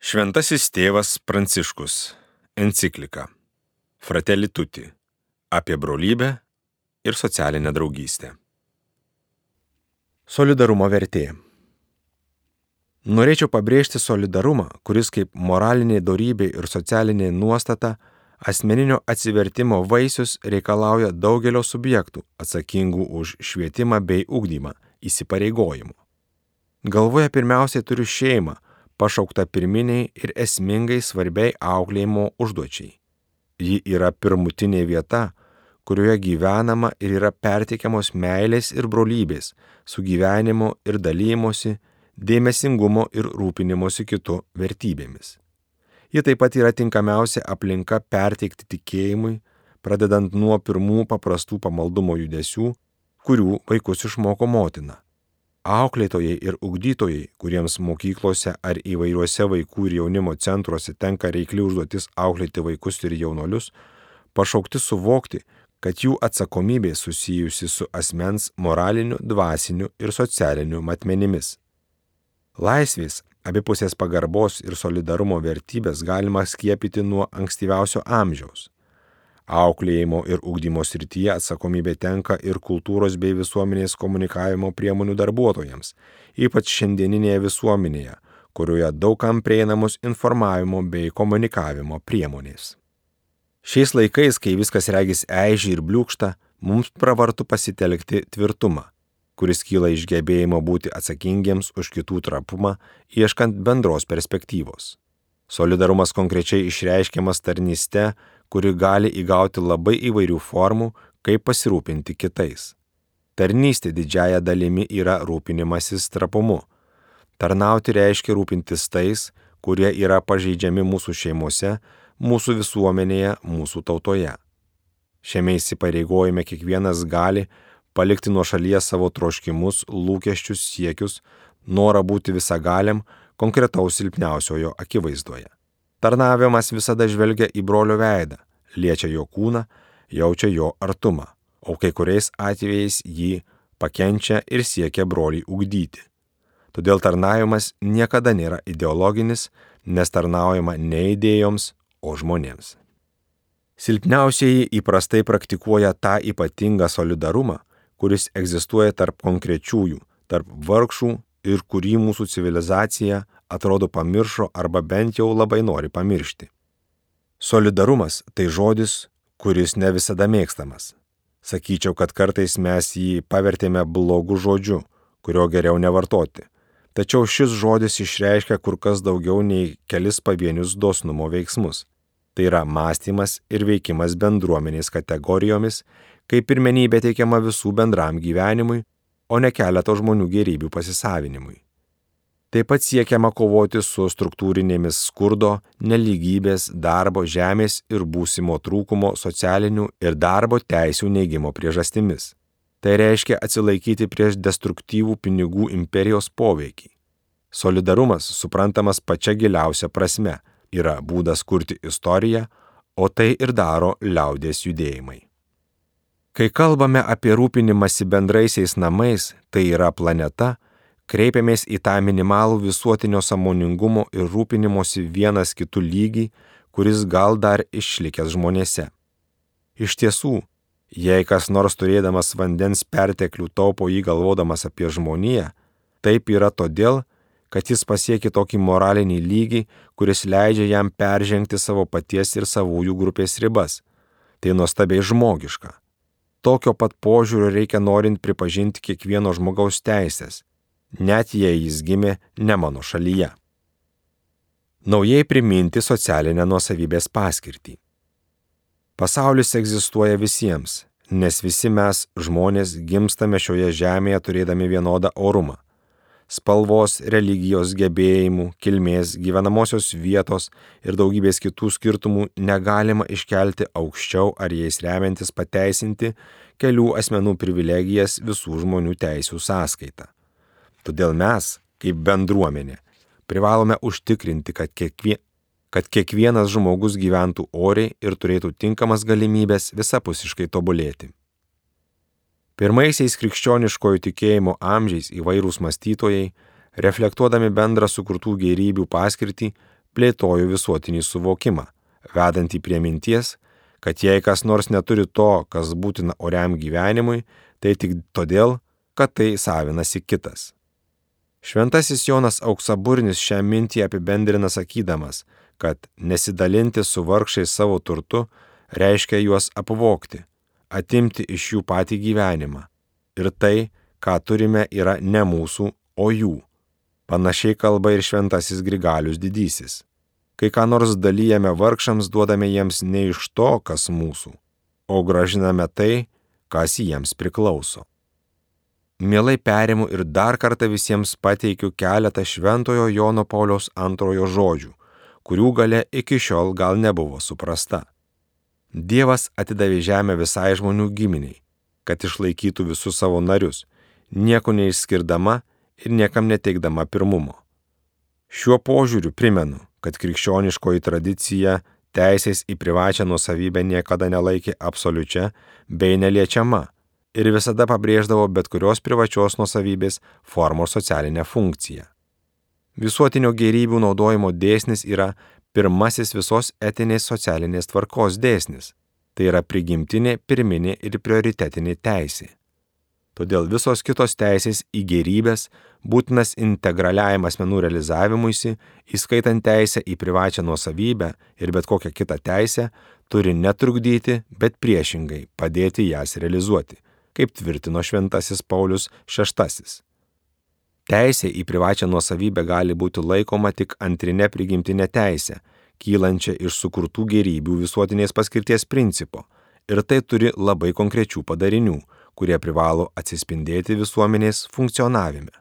Šventasis tėvas Pranciškus. Enciklika Fratelli Tutti apie brolybę ir socialinę draugystę. Solidarumo vertė. Norėčiau pabrėžti solidarumą, kuris kaip moralinė dorybė ir socialinė nuostata asmeninio atsivertimo vaisius reikalauja daugelio subjektų atsakingų už švietimą bei ugdymą įsipareigojimų. Galvoje pirmiausiai turiu šeimą, pašaukta pirminiai ir esmingai svarbiai auklėjimo užduočiai. Ji yra pirmutinė vieta, kurioje gyvenama ir yra perteikiamos meilės ir brolybės, sugyvenimo ir dalymosi, dėmesingumo ir rūpinimosi kitu vertybėmis. Ji taip pat yra tinkamiausia aplinka perteikti tikėjimui, pradedant nuo pirmų paprastų pamaldumo judesių, kurių vaikus išmoko motina. Auklėtojai ir ugdytojai, kuriems mokyklose ar įvairiuose vaikų ir jaunimo centruose tenka reikli užduotis auklėti vaikus ir jaunuolius, pašaukti suvokti, kad jų atsakomybė susijusi su asmens moraliniu, dvasiniu ir socialiniu matmenimis. Laisvės, abipusės pagarbos ir solidarumo vertybės galima skiepyti nuo ankstyviausio amžiaus. Auklėjimo ir ugdymo srityje atsakomybė tenka ir kultūros bei visuomenės komunikavimo priemonių darbuotojams, ypač šiandieninėje visuomenėje, kurioje daugam prieinamos informavimo bei komunikavimo priemonės. Šiais laikais, kai viskas regis eiži ir bliūkšta, mums pravartu pasitelkti tvirtumą, kuris kyla iš gebėjimo būti atsakingiems už kitų trapumą, ieškant bendros perspektyvos. Solidarumas konkrečiai išreiškiamas tarnyste, kuri gali įgauti labai įvairių formų, kaip pasirūpinti kitais. Tarnystė didžiąja dalimi yra rūpinimasis trapumu. Tarnauti reiškia rūpintis tais, kurie yra pažeidžiami mūsų šeimose, mūsų visuomenėje, mūsų tautoje. Šiame įsipareigojime kiekvienas gali palikti nuošalyje savo troškimus, lūkesčius, siekius, norą būti visagaliam, konkretaus silpniausiojo akivaizdoje. Tarnavimas visada žvelgia į brolio veidą, liečia jo kūną, jaučia jo artumą, o kai kuriais atvejais jį pakenčia ir siekia brolį ugdyti. Todėl tarnavimas niekada nėra ideologinis, nes tarnaujama ne idėjoms, o žmonėms. Silpniausieji įprastai praktikuoja tą ypatingą solidarumą, kuris egzistuoja tarp konkrečiųjų, tarp vargšų ir kurį mūsų civilizacija atrodo pamiršo arba bent jau labai nori pamiršti. Solidarumas tai žodis, kuris ne visada mėgstamas. Sakyčiau, kad kartais mes jį pavertėme blogu žodžiu, kurio geriau nevartoti. Tačiau šis žodis išreiškia kur kas daugiau nei kelis pavienius dosnumo veiksmus. Tai yra mąstymas ir veikimas bendruomenės kategorijomis, kai pirmenybė teikiama visų bendram gyvenimui, o ne keleto žmonių gėrybių pasisavinimui. Taip pat siekiama kovoti su struktūrinėmis skurdo, nelygybės, darbo, žemės ir būsimo trūkumo socialinių ir darbo teisių neigimo priežastimis. Tai reiškia atsilaikyti prieš destruktyvų pinigų imperijos poveikį. Solidarumas, suprantamas pačia giliausia prasme, yra būdas kurti istoriją, o tai ir daro liaudies judėjimai. Kai kalbame apie rūpinimąsi bendraisiais namais, tai yra planeta, kreipiamės į tą minimalų visuotinio sąmoningumo ir rūpinimosi vienas kitų lygį, kuris gal dar išlikęs žmonėse. Iš tiesų, jei kas nors turėdamas vandens perteklių taupo jį galvodamas apie žmoniją, taip yra todėl, kad jis pasiekė tokį moralinį lygį, kuris leidžia jam peržengti savo paties ir savųjų grupės ribas. Tai nuostabiai žmogiška. Tokio pat požiūrio reikia norint pripažinti kiekvieno žmogaus teisės, net jei jis gimė ne mano šalyje. Naujai priminti socialinę nuosavybės paskirtį. Pasaulis egzistuoja visiems, nes visi mes, žmonės, gimstame šioje žemėje turėdami vienodą orumą. Spalvos, religijos, gebėjimų, kilmės, gyvenamosios vietos ir daugybės kitų skirtumų negalima iškelti aukščiau ar jais remiantis pateisinti kelių asmenų privilegijas visų žmonių teisių sąskaita. Todėl mes, kaip bendruomenė, privalome užtikrinti, kad kiekvienas žmogus gyventų oriai ir turėtų tinkamas galimybės visapusiškai tobulėti. Pirmaisiais krikščioniškojo tikėjimo amžiais įvairūs mąstytojai, reflektuodami bendrą sukurtų gėrybių paskirtį, plėtojo visuotinį suvokimą, vedantį prie minties, kad jei kas nors neturi to, kas būtina oriam gyvenimui, tai tik todėl, kad tai savinasi kitas. Šventasis Jonas Auksaburnis šią mintį apibendrina sakydamas, kad nesidalinti su vargšais savo turtu reiškia juos apvogti, atimti iš jų patį gyvenimą. Ir tai, ką turime, yra ne mūsų, o jų. Panašiai kalba ir šventasis Grigalius Didysis. Kai ką nors dalijame vargšams, duodame jiems ne iš to, kas mūsų, o gražiname tai, kas jiems priklauso. Mielai perimu ir dar kartą visiems pateikiu keletą Šventojo Jono Pauliaus II žodžių, kurių galia iki šiol gal nebuvo suprasta. Dievas atidavė žemę visai žmonių giminiai, kad išlaikytų visus savo narius, nieko neišskirdama ir niekam neteikdama pirmumo. Šiuo požiūriu primenu, kad krikščioniškoji tradicija teisės į privačią nuosavybę niekada nelaikė absoliučia bei neliečiama ir visada pabrėždavo bet kurios privačios nuosavybės formos socialinę funkciją. Visuotinio gėrybių naudojimo dėsnis yra pirmasis visos etinės socialinės tvarkos dėsnis, tai yra prigimtinė, pirminė ir prioritetinė teisė. Todėl visos kitos teisės į gėrybės būtinas integraliajam asmenų realizavimuisi, įskaitant teisę į privačią nuosavybę ir bet kokią kitą teisę, turi netrukdyti, bet priešingai padėti jas realizuoti, kaip tvirtino šventasis Paulius VI. Teisė į privačią nuosavybę gali būti laikoma tik antrinė prigimtinė teisė, kylančia iš sukurtų gėrybių visuotinės paskirties principo, ir tai turi labai konkrečių padarinių, kurie privalo atsispindėti visuomenės funkcionavime.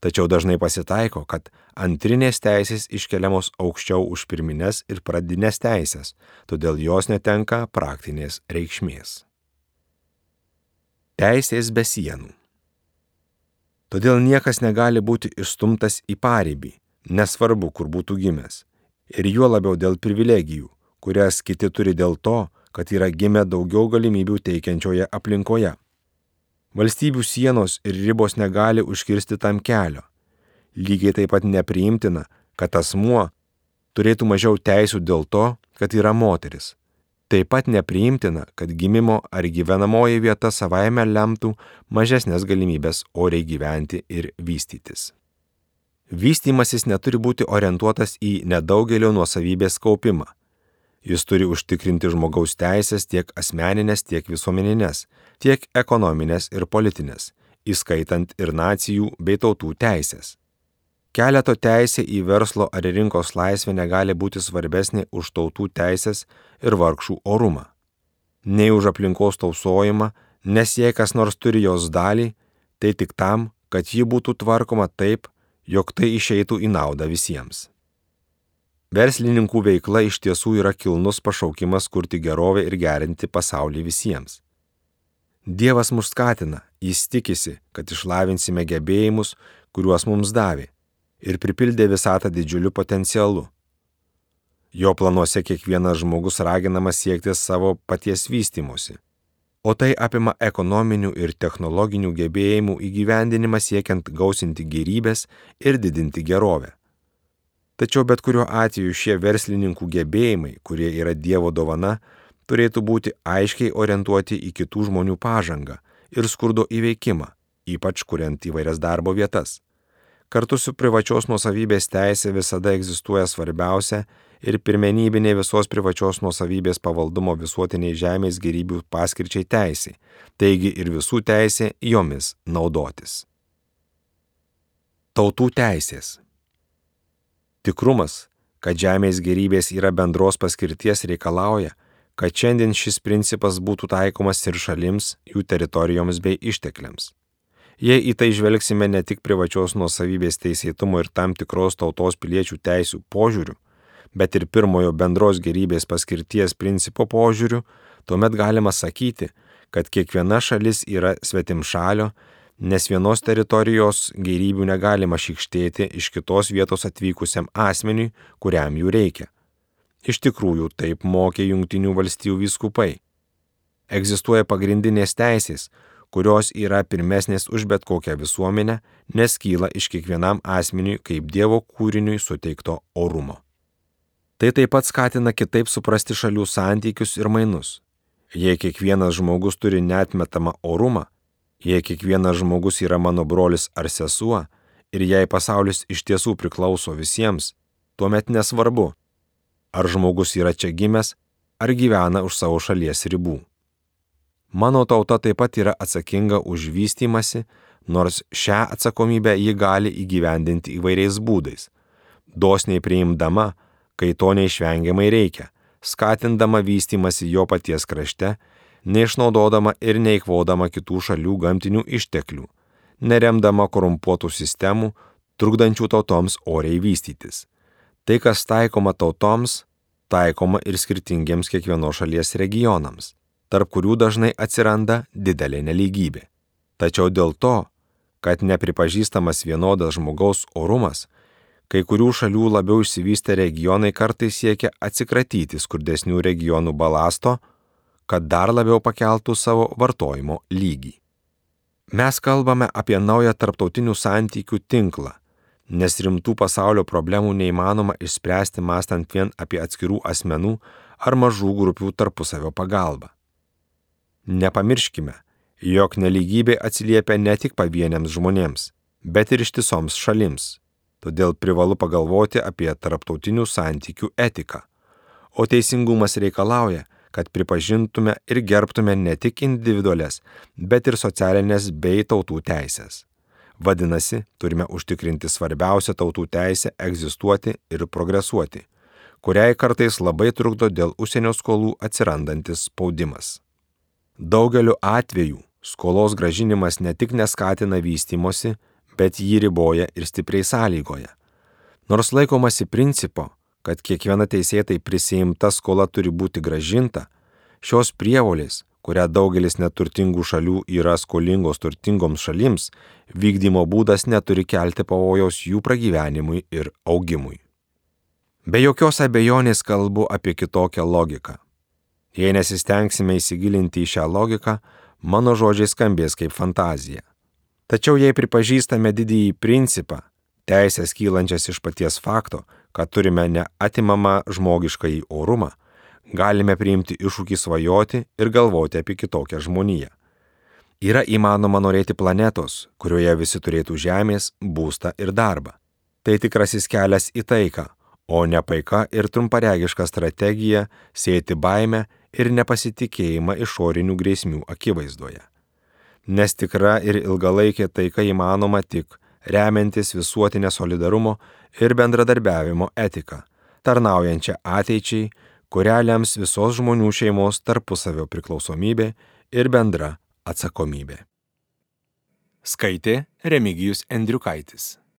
Tačiau dažnai pasitaiko, kad antrinės teisės iškeliamos aukščiau už pirmines ir pradinės teisės, todėl jos netenka praktinės reikšmės. Teisės be sienų. Todėl niekas negali būti išstumtas į paribį, nesvarbu, kur būtų gimęs, ir juo labiau dėl privilegijų, kurias kiti turi dėl to, kad yra gimę daugiau galimybių teikiančioje aplinkoje. Valstybių sienos ir ribos negali užkirsti tam kelio. Lygiai taip pat nepriimtina, kad asmuo turėtų mažiau teisių dėl to, kad yra moteris. Taip pat nepriimtina, kad gimimo ar gyvenamoji vieta savaime lemtų mažesnės galimybės oriai gyventi ir vystytis. Vystymasis neturi būti orientuotas į nedaugelio nuosavybės kaupimą. Jis turi užtikrinti žmogaus teisės tiek asmeninės, tiek visuomeninės, tiek ekonominės ir politinės, įskaitant ir nacijų bei tautų teisės. Keleto teisė į verslo ar rinkos laisvę negali būti svarbesnė už tautų teisės ir vargšų orumą. Nei už aplinkos tausojimą, nes jei kas nors turi jos dalį, tai tik tam, kad ji būtų tvarkoma taip, jog tai išeitų į naudą visiems. Verslininkų veikla iš tiesų yra kilnus pašaukimas kurti gerovę ir gerinti pasaulį visiems. Dievas mus skatina, jis tikisi, kad išlavinsime gebėjimus, kuriuos mums davė, ir pripildė visatą didžiuliu potencialu. Jo planuose kiekvienas žmogus raginamas siekti savo paties vystymosi, o tai apima ekonominių ir technologinių gebėjimų įgyvendinimą siekiant gausinti gėrybės ir didinti gerovę. Tačiau bet kuriuo atveju šie verslininkų gebėjimai, kurie yra Dievo dovana, turėtų būti aiškiai orientuoti į kitų žmonių pažangą ir skurdo įveikimą, ypač kuriant įvairias darbo vietas. Kartu su privačios nuosavybės teisė visada egzistuoja svarbiausia ir pirmenybinė visos privačios nuosavybės pavaldumo visuotiniai žemės gėrybių paskirčiai teisė, taigi ir visų teisė jomis naudotis. Tautų teisės. Tikrumas, kad žemės gėrybės yra bendros paskirties reikalauja, kad šiandien šis principas būtų taikomas ir šalims, jų teritorijoms bei ištekliams. Jei į tai žvelgsime ne tik privačios nuosavybės teisėtumo ir tam tikros tautos piliečių teisių požiūrių, bet ir pirmojo bendros gėrybės paskirties principo požiūrių, tuomet galima sakyti, kad kiekviena šalis yra svetimšalio, nes vienos teritorijos gėrybių negalima šykštėti iš kitos vietos atvykusiam asmeniui, kuriam jų reikia. Iš tikrųjų, taip mokė Jungtinių valstijų vyskupai. Egzistuoja pagrindinės teisės, kurios yra pirmesnės už bet kokią visuomenę, nes kyla iš kiekvienam asmeniui kaip Dievo kūriniui suteikto orumo. Tai taip pat skatina kitaip suprasti šalių santykius ir mainus. Jei kiekvienas žmogus turi neatmetamą orumą, jei kiekvienas žmogus yra mano brolis ar sesuo, ir jei pasaulis iš tiesų priklauso visiems, tuomet nesvarbu, ar žmogus yra čia gimęs, ar gyvena už savo šalies ribų. Mano tauta taip pat yra atsakinga už vystymąsi, nors šią atsakomybę ji gali įgyvendinti įvairiais būdais, dosniai priimdama, kai to neišvengiamai reikia, skatindama vystymąsi jo paties krašte, neišnaudodama ir neeikvodama kitų šalių gamtinių išteklių, neremdama korumpuotų sistemų, trukdančių tautoms oriai vystytis. Tai, kas taikoma tautoms, taikoma ir skirtingiems kiekvienos šalies regionams, tarp kurių dažnai atsiranda didelė nelygybė. Tačiau dėl to, kad nepripažįstamas vienodas žmogaus orumas, kai kurių šalių labiau išsivystę regionai kartais siekia atsikratyti skurdesnių regionų balasto, kad dar labiau pakeltų savo vartojimo lygį. Mes kalbame apie naują tarptautinių santykių tinklą, nes rimtų pasaulio problemų neįmanoma išspręsti mąstant vien apie atskirų asmenų ar mažų grupių tarpusavio pagalbą. Nepamirškime, jog nelygybė atsiliepia ne tik pavieniams žmonėms, bet ir ištisoms šalims. Todėl privalu pagalvoti apie tarptautinių santykių etiką. O teisingumas reikalauja, kad pripažintume ir gerbtume ne tik individualias, bet ir socialinės bei tautų teisės. Vadinasi, turime užtikrinti svarbiausią tautų teisę egzistuoti ir progresuoti, kuriai kartais labai trukdo dėl užsienio skolų atsirandantis spaudimas. Daugeliu atvejų skolos grąžinimas ne tik neskatina vystymosi, bet jį riboja ir stipriai sąlygoja. Nors laikomasi principo, kad kiekviena teisėtai prisiimta skola turi būti grąžinta, šios prievolės, kurią daugelis neturtingų šalių yra skolingos turtingoms šalims, vykdymo būdas neturi kelti pavojaus jų pragyvenimui ir augimui. Be jokios abejonės kalbu apie kitokią logiką. Jei nesistengsime įsigilinti į šią logiką, mano žodžiai skambės kaip fantazija. Tačiau jei pripažįstame didįjį principą, teisės kylančias iš paties fakto, kad turime neatimamą žmogiškąjį orumą, galime priimti iššūkį svajoti ir galvoti apie kitokią žmoniją. Yra įmanoma norėti planetos, kurioje visi turėtų žemės, būstą ir darbą. Tai tikrasis kelias į taiką, o ne paika ir trumparegiška strategija sėti baimę ir nepasitikėjimą išorinių grėsmių akivaizdoje. Nes tikra ir ilgalaikė taika įmanoma tik remiantis visuotinę solidarumo ir bendradarbiavimo etiką, tarnaujančią ateičiai, kurią lems visos žmonių šeimos tarpusavio priklausomybė ir bendra atsakomybė. Skaitė Remigijus Endriukaitis.